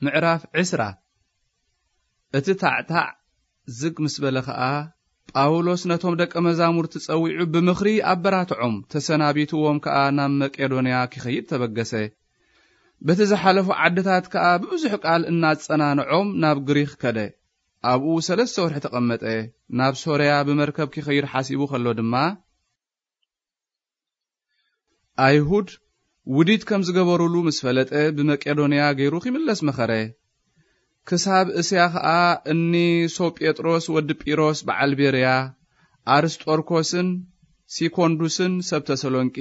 ምዕራፍ ዕስራ። እቲ ታዕታዕ ዝግ ምስ በለ ኸኣ፣ ጳውሎስ ነቶም ደቀ መዛሙርቲ ጸዊዑ ብምኽሪ ኣበራትዖም፣ ተሰናቢትዎም ከኣ ናብ መቄዶንያ ኪኸይድ ተበገሰ። በቲ ዝሓለፉ ዓድታት ከኣ ብብዙሕ ቃል እናጸናንዖም ናብ ግሪኽ ከደ። ኣብኡ ሰለስተ ወርሒ ተቐመጠ። ናብ ሶርያ ብመርከብ ኪኸይድ ሓሲቡ ኸሎ ድማ፣ ኣይሁድ ውዲት ከም ዝገበሩሉ ምስ ፈለጠ፣ ብመቄዶንያ ገይሩ ኺምለስ መኸረ። ክሳብ እስያ ኸኣ እኒ ሶጴጥሮስ ወዲ ጲሮስ በዓል ቤርያ፣ ኣርስጦርኮስን ሲኮንዱስን ሰብ ተሰሎንቄ፣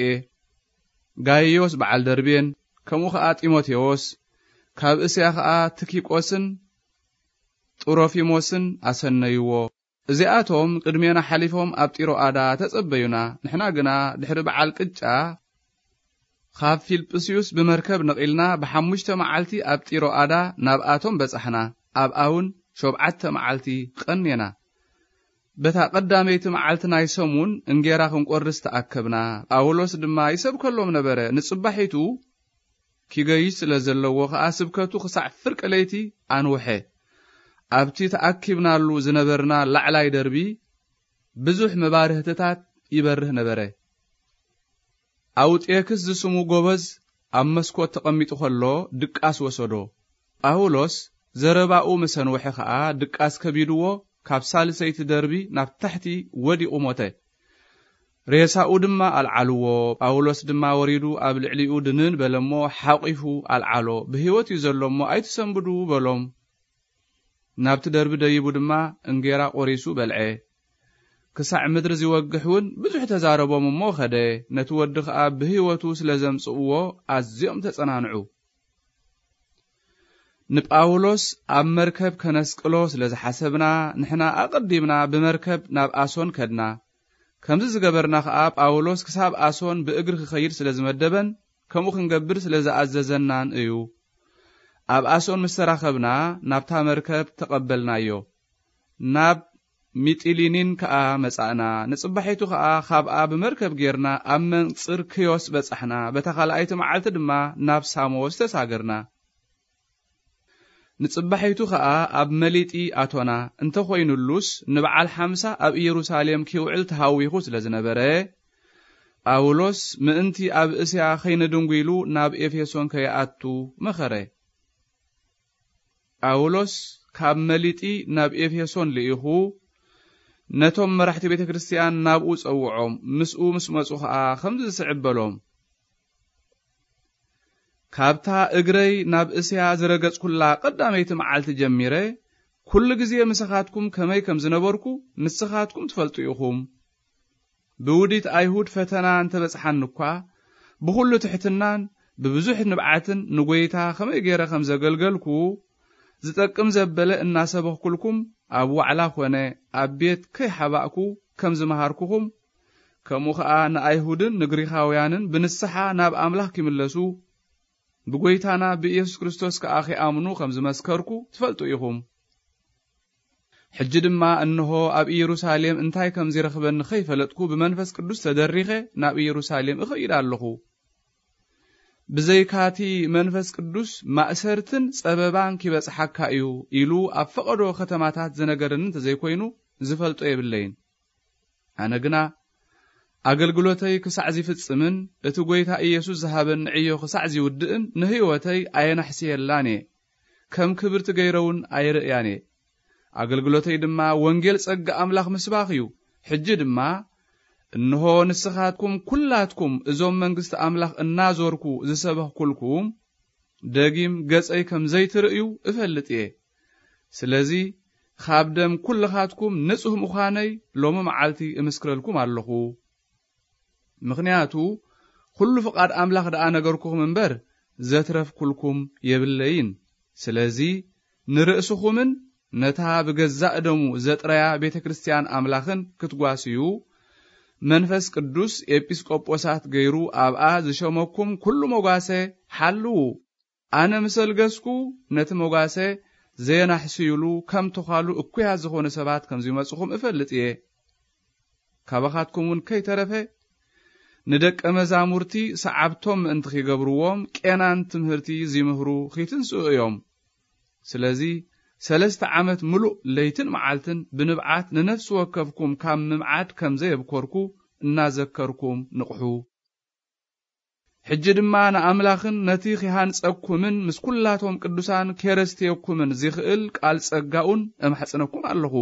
ጋይዮስ በዓል ደርቤን፣ ከምኡ ኸኣ ጢሞቴዎስ፣ ካብ እስያ ኸኣ ትኪቆስን ጥሮፊሞስን ኣሰነይዎ። እዚኣቶም ቅድሜና ሓሊፎም ኣብ ጢሮኣዳ ተጸበዩና። ንሕና ግና ድሕሪ በዓል ቅጫ፣ ካብ ፊልጵስዩስ ብመርከብ ነቒልና፣ ብሓሙሽተ መዓልቲ ኣብ ጢሮኣዳ ናብኣቶም በጻሕና። ኣብኣ እውን ሸውዓተ መዓልቲ ቐኔና። በታ ቀዳመይቲ መዓልቲ ናይ ሰሙን እንጌራ ክንቆርስ ተኣከብና። ጳውሎስ ድማ ይሰብከሎም ነበረ። ንጽባሒቱ ኪገይሽ ስለ ዘለዎ ኸኣ፣ ስብከቱ ክሳዕ ፍርቂ ለይቲ ኣንውሐ። ኣብቲ ተኣኪብናሉ ዝነበርና ላዕላይ ደርቢ፣ ብዙሕ መባርህትታት ይበርህ ነበረ። ኣውጤክስ ዝስሙ ጎበዝ ኣብ መስኮት ተቐሚጡ ኸሎ፣ ድቃስ ወሰዶ። ጳውሎስ ዘረባኡ ምስ ኣንውሐ ኸኣ፣ ድቃስ ከቢድዎ፣ ካብ ሳልሰይቲ ደርቢ ናብ ታሕቲ ወዲቑ ሞተ። ሬሳኡ ድማ ኣልዓልዎ። ጳውሎስ ድማ ወሪዱ ኣብ ልዕሊኡ ድንን በለ እሞ፣ ሓቒፉ ኣልዓሎ። ብህይወት እዩ ዘሎ እሞ፣ ኣይትሰንብዱ በሎም። ናብቲ ደርቢ ደይቡ ድማ እንጌራ ቖሪሱ በልዐ። ክሳዕ ምድሪ ዚወግሕ እውን ብዙሕ ተዛረቦም እሞ ኸደ። ነቲ ወዲ ኸኣ ብህይወቱ ስለ ዘምጽእዎ ኣዝዮም ተጸናንዑ። ንጳውሎስ ኣብ መርከብ ከነስቅሎ ስለ ዝሓሰብና፣ ንሕና ኣቐዲምና ብመርከብ ናብ ኣሶን ከድና። ከምዚ ዝገበርና ኸኣ፣ ጳውሎስ ክሳብ ኣሶን ብእግሪ ክኸይድ ስለ ዝመደበን፣ ከምኡ ክንገብር ስለ ዝኣዘዘናን እዩ። ኣብ ኣሶን ምስ ተራኸብና፣ ናብታ መርከብ ተቐበልናዮ። ናብ ሚጢሊኒን ከኣ መጻእና። ንጽባሒቱ ኸኣ ካብኣ ብመርከብ ጌርና ኣብ መንጽር ክዮስ በጻሕና። በታ ካልኣይቲ መዓልቲ ድማ ናብ ሳሞስ ተሳገርና። ንጽባሒቱ ኸኣ ኣብ መሊጢ ኣቶና። እንተኾይኑሉስ፣ ንበዓል ሓምሳ ኣብ ኢየሩሳሌም ኪውዕል ተሃዊኹ ስለ ዝነበረ፣ ጳውሎስ ምእንቲ ኣብ እስያ ኸይነድንጉ ኢሉ ናብ ኤፌሶን ከይኣቱ መኸረ። ጳውሎስ ካብ መሊጢ ናብ ኤፌሶን ልኢኹ፣ ነቶም መራሕቲ ቤተ ክርስትያን ናብኡ ጸውዖም። ምስኡ ምስ መጹ ኸኣ ከምዚ ዝስዕብ በሎም። ካብታ እግረይ ናብ እስያ ዝረገጽኩላ ቀዳመይቲ መዓልቲ ጀሚረ፣ ኩሉ ግዜ ምሳኻትኩም ከመይ ከም ዝነበርኩ ንስኻትኩም ትፈልጡ ኢኹም። ብውዲት ኣይሁድ ፈተና እንተ በጽሓኒ እኳ፣ ብኹሉ ትሕትናን ብብዙሕ ንብዓትን ንጐይታ ከመይ ገይረ ከም ዘገልገልኩ፣ ዝጠቅም ዘበለ እናሰበኽኩልኩም፣ ኣብ ዋዕላ ኾነ ኣብ ቤት ከይሓባእኩ ከም ዝመሃርኩኹም፣ ከምኡ ኸኣ ንኣይሁድን ንግሪኻውያንን ብንስሓ ናብ ኣምላኽ ኪምለሱ፣ ብጐይታና ብኢየሱስ ክርስቶስ ከኣ ኺኣምኑ ኸም ዝመስከርኩ ትፈልጡ ኢኹም። ሕጂ ድማ እንሆ ኣብ ኢየሩሳሌም እንታይ ከም ዚረኽበኒ ኸይፈለጥኩ ብመንፈስ ቅዱስ ተደሪኸ ናብ ኢየሩሳሌም እኸይድ ኣለኹ። ብዘይካቲ መንፈስ ቅዱስ ማእሰርትን ጸበባን ኪበጽሓካ እዩ ኢሉ ኣብ ፈቐዶ ከተማታት ዝነገረኒ እንተ ዘይኮይኑ ዝፈልጦ የብለይን። ኣነ ግና ኣገልግሎተይ ክሳዕ ዚፍጽምን እቲ ጐይታ ኢየሱስ ዝሃበኒ ዕዮ ክሳዕ ዚውድእን ንህይወተይ ኣየናሕስየላን እየ። ከም ክብርቲ ገይረ እውን ኣይርእያን እየ። ኣገልግሎተይ ድማ ወንጌል ጸጋ ኣምላኽ ምስባኽ እዩ። ሕጂ ድማ እንሆ ንስኻትኩም ኵላትኩም እዞም መንግስቲ ኣምላኽ እናዞርኩ ዝሰበኽኩልኩም ደጊም ገጸይ ከም ዘይትርእዩ እፈልጥ እየ። ስለዚ ካብ ደም ኵልኻትኩም ንጹህ ምዃነይ ሎሚ መዓልቲ እምስክረልኩም ኣለኹ። ምኽንያቱ ኵሉ ፍቓድ ኣምላኽ ደኣ ነገርኩኹም እምበር ዘትረፍኩልኩም የብለይን። ስለዚ ንርእስኹምን ነታ ብገዛእ ደሙ ዘጥረያ ቤተ ክርስትያን ኣምላኽን ክትጓስዩ መንፈስ ቅዱስ ኤጲስቆጶሳት ገይሩ ኣብኣ ዝሸመኩም ኵሉ መጓሰ ሓልዉ። ኣነ ምስ ኣልገስኩ ነቲ መጓሰ ዘየናሕስዩሉ ከም ተዃሉ እኩያት ዝኾኑ ሰባት ከም ዝመጽኹም እፈልጥ እየ። ካባኻትኩም እውን ከይተረፈ ንደቀ መዛሙርቲ ሰዓብቶም ምእንቲ ኺገብርዎም ቄናን ትምህርቲ ዚምህሩ ኺትንስኡ እዮም። ስለዚ ሰለስተ ዓመት ምሉእ ለይትን መዓልትን ብንብዓት ንነፍሲ ወከፍኩም ካብ ምምዓድ ከም ዘየብኮርኩ እናዘከርኩም ንቕሑ። ሕጂ ድማ ንኣምላኽን ነቲ ኺሃንጸኩምን ምስ ኵላቶም ቅዱሳን ኬረስትየኩምን ዚኽእል ቃል ጸጋኡን እማሕጽነኩም ኣለኹ።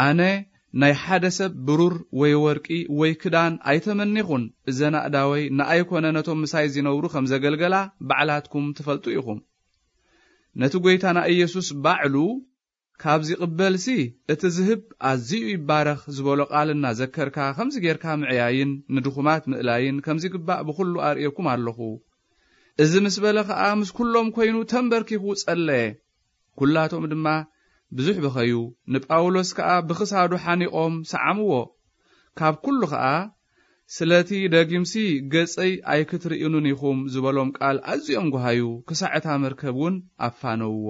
ኣነ ናይ ሓደ ሰብ ብሩር ወይ ወርቂ ወይ ክዳን ኣይተመኔኹን። እዘን ኣእዳወይ ንኣይ ኮነ ነቶም ምሳይ ዚነብሩ ከም ዘገልገላ ባዕላትኩም ትፈልጡ ኢኹም። ነቲ ጐይታና ኢየሱስ ባዕሉ፣ "ካብ ዚቕበልሲ እቲ ዝህብ ኣዝዩ ይባረኽ" ዝበሎ ቃል እናዘከርካ፣ ከምዚ ጌርካ ምዕያይን ንድኹማት ምእላይን ከም ዚግባእ ብኹሉ ኣርእየኩም ኣለኹ። እዚ ምስ በለ ኸኣ ምስ ኩሎም ኮይኑ ተንበርኪኹ ጸለየ። ኩላቶም ድማ ብዙሕ በኸዩ። ንጳውሎስ ከኣ ብኽሳዱ ሓኒቖም ሰዓምዎ። ካብ ኩሉ ኸኣ፣ "ስለቲ ደጊምሲ ገጸይ ኣይክትርእዩንን ኢኹም" ዝበሎም ቃል ኣዝዮም ጓሃዩ፣ ክሳዕ እታ መርከብ እውን ኣፋነውዎ።